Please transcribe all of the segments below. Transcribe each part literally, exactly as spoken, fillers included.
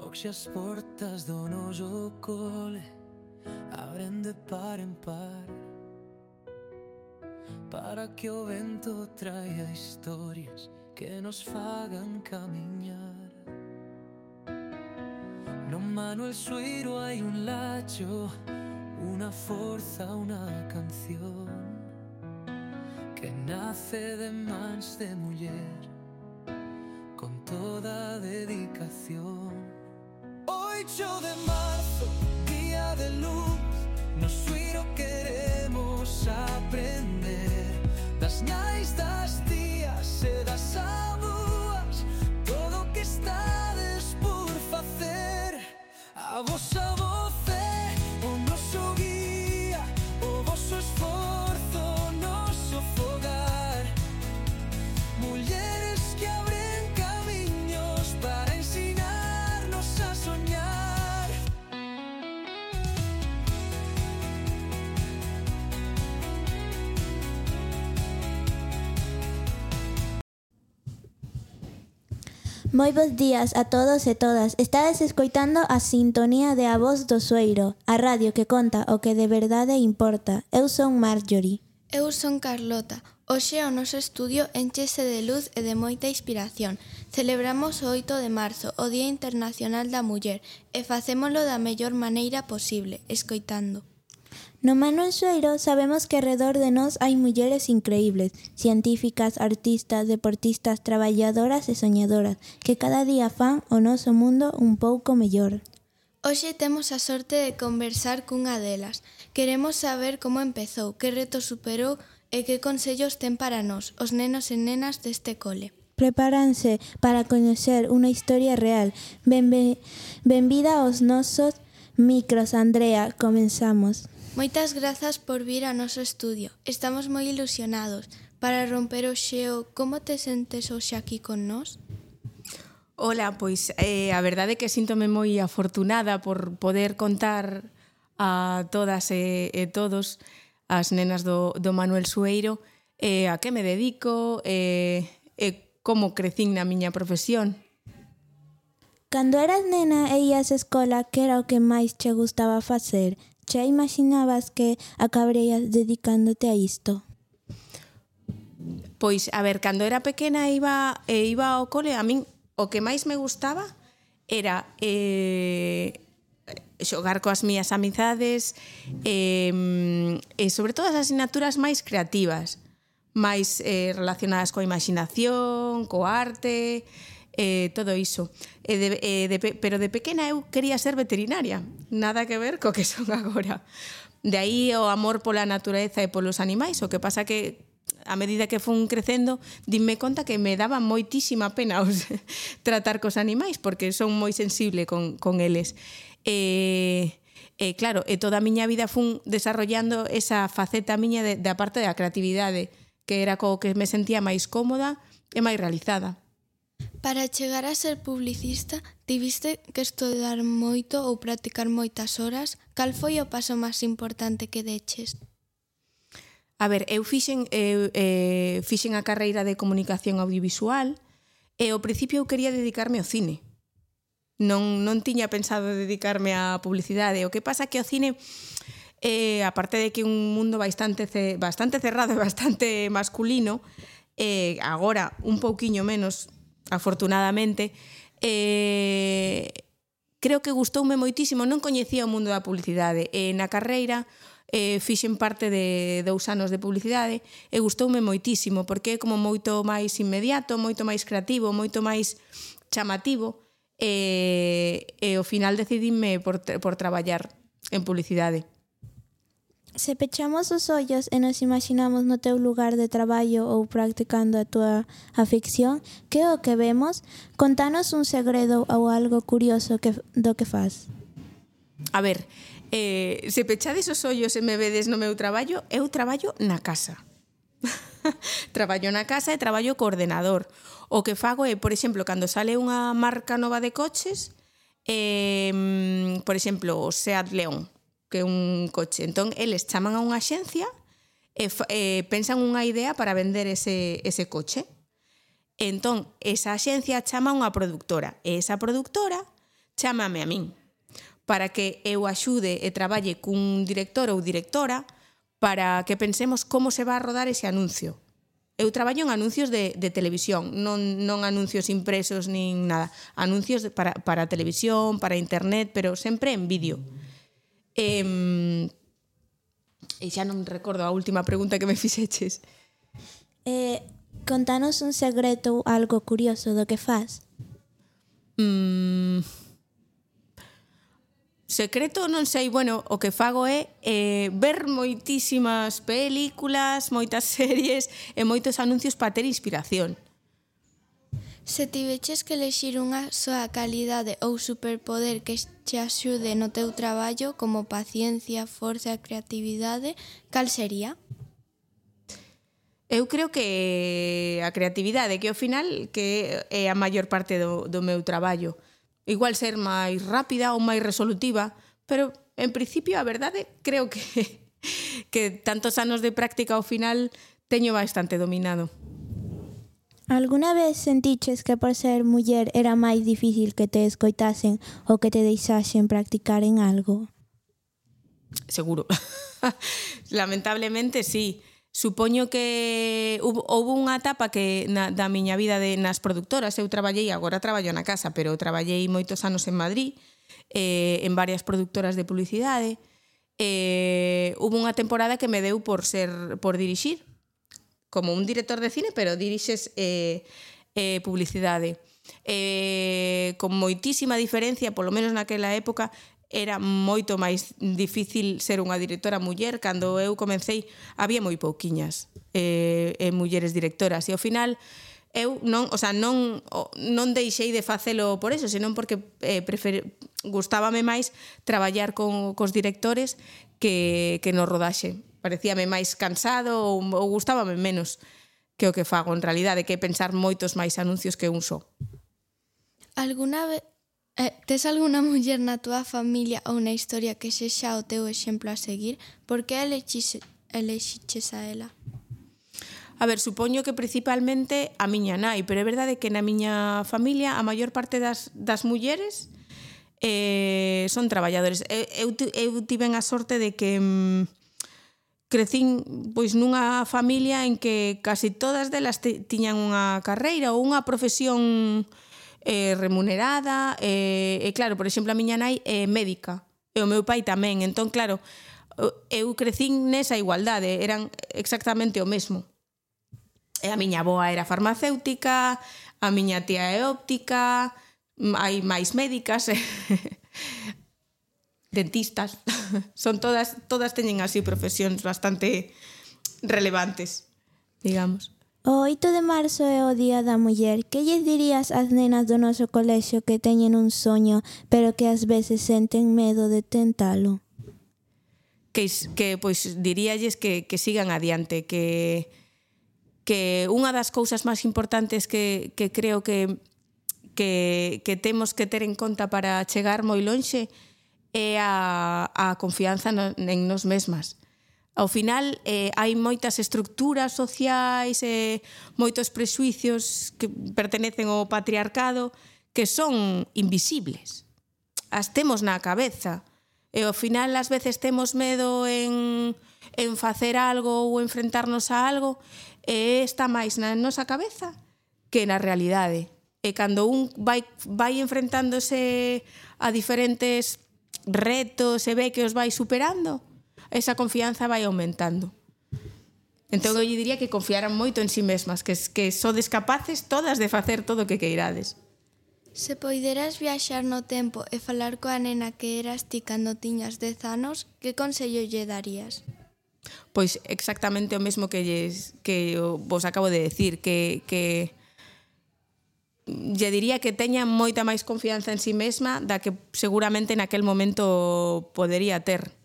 Hoxe as portas do noso cole abren de par en par, para que o vento traia historias que nos fagan camiñar. No Manuel Sueiro hai un lacho, unha forza, unha canción que nace de mans de muller con toda dedicación. Oito de marzo, día de luz, no Sueiro queremos aprender das nais, das tías e das avúas, todo o que estades por facer. A vosa voz é o noso guía, o voso esforzo, o noso fogar. Mulleres que abren camiños para ensinarnos a soñar. Moi bons días a todos e todas. Estades escoitando a sintonía de A Voz do Sueiro, a radio que conta o que de verdade importa. Eu son Marjorie. Eu son Carlota. Hoxe o noso estudio enchese de luz e de moita inspiración. Celebramos o oito de marzo, o Día Internacional da Muller, e facémolo da mellor maneira posible, escoitando. No Manuel Sueiro sabemos que alrededor de nós hai mulleres increíbles, científicas, artistas, deportistas, traballadoras e soñadoras, que cada día fan o noso mundo un pouco mellor. Hoxe temos a sorte de conversar cunha delas. Queremos saber como empezou, que reto superou e que consellos ten para nós, os nenos e nenas deste cole. Prepáranse para coñecer unha historia real. Benve- Benvida aos nosos micros, Andrea. Comenzamos. Moitas grazas por vir ao noso estudio. Estamos moi ilusionados. Para romper o xeo, como te sentes hoxe aquí con nós? Ola, pois eh, a verdade é que síntome moi afortunada por poder contar a todas e, e todos as nenas do, do Manuel Sueiro eh, a que me dedico e eh, como crecín na miña profesión. Cando eras nena e ías á escola, que era o que máis che gustaba facer? Xa imaginabas que acabarías dedicándote a isto? Pois, a ver, cando era pequena iba, e iba ao cole, a min o que máis me gustaba era eh, xogar coas mías amizades eh, e sobre todo as asignaturas máis creativas, máis eh, relacionadas coa imaginación, co arte, eh, todo iso. E de, e de, pero de pequena eu quería ser veterinaria, nada que ver co que son agora. De aí o amor pola natureza e polos animais, o que pasa que a medida que fun crecendo, dime conta que me daba moitísima pena os tratar cos animais, porque son moi sensible con, con eles. E, e claro, e toda a miña vida fun desarrollando esa faceta miña de, da parte da creatividade, que era co que me sentía máis cómoda e máis realizada. Para chegar a ser publicista, tiviste que estudar moito ou practicar moitas horas? Cal foi o paso máis importante que deches? A ver, eu fixen, eu, eh, fixen a carreira de comunicación audiovisual e ao principio eu quería dedicarme ao cine. Non, non tiña pensado dedicarme á publicidade. O que pasa que o cine, eh, aparte de que é un mundo bastante, bastante cerrado e bastante masculino, eh, agora un pouquiño menos, afortunadamente, eh, creo que gustoume moitísimo. Non coñecía o mundo da publicidade e na carreira eh, fixen parte de dous anos de publicidade e gustoume moitísimo porque é como moito máis inmediato, moito máis creativo, moito máis chamativo e, e ao final decidíme por, por traballar en publicidade. Se pechamos os ollos e nos imaginamos no teu lugar de traballo ou practicando a túa afición, que é o que vemos? Contanos un segredo ou algo curioso que, do que faz. A ver, eh, se pechades os ollos e me vedes no meu traballo, eu traballo na casa. Traballo na casa e traballo co ordenador. O que fago é, por exemplo, cando sale unha marca nova de coches, eh, por exemplo, o Seat León, que é un coche. Entón, eles chaman a unha axencia e eh, pensan unha idea para vender ese, ese coche. Entón, esa axencia chama a unha productora e esa productora chámame a min para que eu axude e traballe cun director ou directora para que pensemos como se va a rodar ese anuncio. Eu traballo en anuncios de, de televisión, non, non anuncios impresos nin nada. Anuncios de, para, para televisión, para internet, pero sempre en vídeo. E, e xa non recordo a última pregunta que me fixeches. Eh, contanos un segredo ou algo curioso do que faz. Mm, secreto non sei, bueno, o que fago é eh, ver moitísimas películas, moitas series e moitos anuncios para ter inspiración. Se tiveches que elexir unha soa calidade ou superpoder que te axude no teu traballo, como paciencia, forza e creatividade, cal sería? Eu creo que a creatividade, que ao final que é a maior parte do, do meu traballo. Igual ser máis rápida ou máis resolutiva, pero en principio a verdade creo que, que tantos anos de práctica ao final teño bastante dominado. Alguna vez sentiches que por ser muller era máis difícil que te escoitasen ou que te deixasen practicar en algo? Seguro. Lamentablemente, sí. Supoño que houve unha etapa que na, da miña vida de, nas productoras. Eu traballei, agora traballo na casa, pero traballei moitos anos en Madrid, eh, en varias productoras de publicidade. Eh, houve unha temporada que me deu por ser por dirixir, como un director de cine, pero dirixes eh, eh, publicidade. Eh, con moitísima diferencia, polo menos naquela época, era moito máis difícil ser unha directora muller. Cando eu comecei había moi pouquiñas eh, eh, mulleres directoras e ao final eu non, o sea, non, non deixei de facelo por eso, senón porque eh, prefer, gustábame máis traballar con cos directores que, que no rodaxe. Parecíame máis cansado ou, ou gustábame menos que o que fago en realidade, que pensar moitos máis anuncios que un só. Alguna vez Eh, tes alguna muller na túa familia ou na historia que sexa o teu exemplo a seguir? Por que elexiches, elexiches a ela? A ver, supoño que principalmente a miña nai, pero é verdade que na miña familia a maior parte das, das mulleres eh, son traballadores. Eu, eu tiven a sorte de que mm, crecín pois nunha familia en que casi todas delas te, tiñan unha carreira ou unha profesión eh, remunerada, e, eh, claro, por exemplo, a miña nai é médica e o meu pai tamén, entón, claro, eu crecín nesa igualdade, eran exactamente o mesmo. E a miña avoa era farmacéutica, a miña tía é óptica, hai máis médicas, dentistas, son todas, todas teñen así profesións bastante relevantes, digamos. O oito de marzo é o Día da Muller. Que lles dirías ás nenas do noso colexio que teñen un soño, pero que ás veces senten medo de tentalo? Que, que pois diríalles que, que sigan adiante, que, que unha das cousas máis importantes que, que creo que, que, que temos que ter en conta para chegar moi lonxe é a, a confianza no, en nos mesmas. Ao final, eh, hai moitas estructuras sociais e eh, moitos prexuicios que pertenecen ao patriarcado que son invisibles. As temos na cabeza. E ao final, ás veces temos medo en, en facer algo ou enfrentarnos a algo e está máis na nosa cabeza que na realidade. E cando un vai, vai enfrentándose a diferentes retos e ve que os vai superando, esa confianza vai aumentando. Entón eu diría que confiaran moito en si mesmas, que, que sodes capaces todas de facer todo o que queirades. Se poideras viaxar no tempo e falar coa nena que eras ti cando tiñas dez anos, que consello lle darías? Pois exactamente o mesmo que, lles, que vos acabo de decir, que, que lle diría que teña moita máis confianza en si mesma da que seguramente naquel momento podería ter.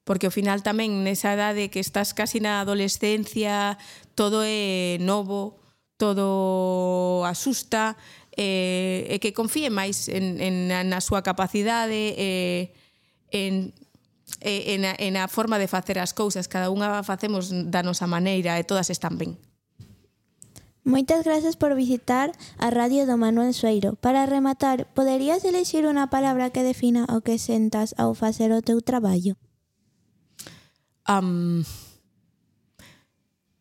Porque ao final tamén nesa edade que estás casi na adolescencia, todo é novo, todo asusta, e, e que confíe máis en, en, na súa capacidade, e, en, en, a, en a forma de facer as cousas. Cada unha facemos da nosa maneira e todas están ben. Moitas gracias por visitar a Radio do Manuel Sueiro. Para rematar, poderías elixir unha palabra que defina o que sentas ao facer o teu traballo? Um,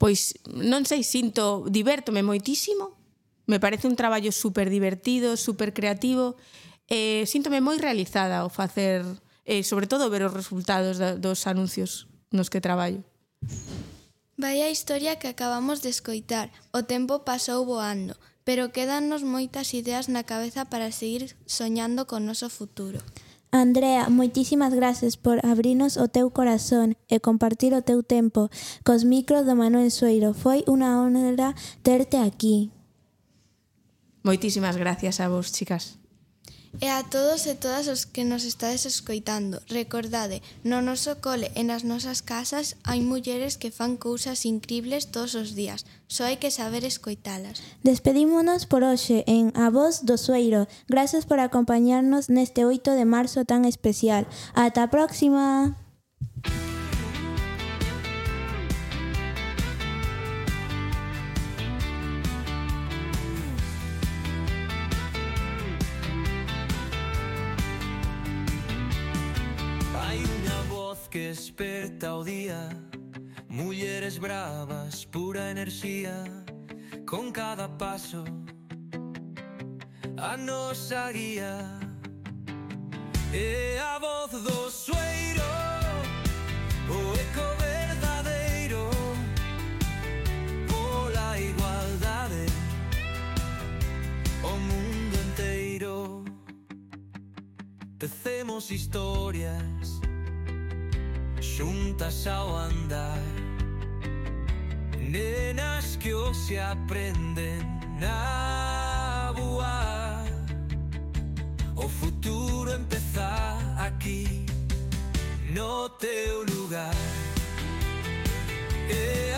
pois, non sei, sinto, divértome moitísimo. Me parece un traballo super divertido, super creativo. Eh, síntome moi realizada ao facer, eh, sobre todo ver os resultados da, dos anuncios nos que traballo. Vai a historia que acabamos de escoitar. O tempo pasou voando, pero quédannos moitas ideas na cabeza para seguir soñando con noso futuro. Andrea, moitísimas gracias por abrirnos o teu corazón e compartir o teu tempo cos micros do Manuel Sueiro. Foi unha honra terte aquí. Moitísimas gracias a vos, chicas. E a todos e todas os que nos estades escoitando, recordade, no noso cole e nas nosas casas hai mulleres que fan cousas incribles todos os días, só hai que saber escoitalas. Despedímonos por hoxe en A Voz do Sueiro. Gracias por acompañarnos neste oito de marzo tan especial. Ata a próxima! Que esperta o día, mulleres bravas, pura enerxía, con cada paso a nosa guía. E a voz do Sueiro, o eco verdadeiro, pola igualdade, o mundo enteiro. Tecemos historias xuntas ao andar, nenas que hoxe aprenden a voar. O futuro empeza aquí, no teu lugar. E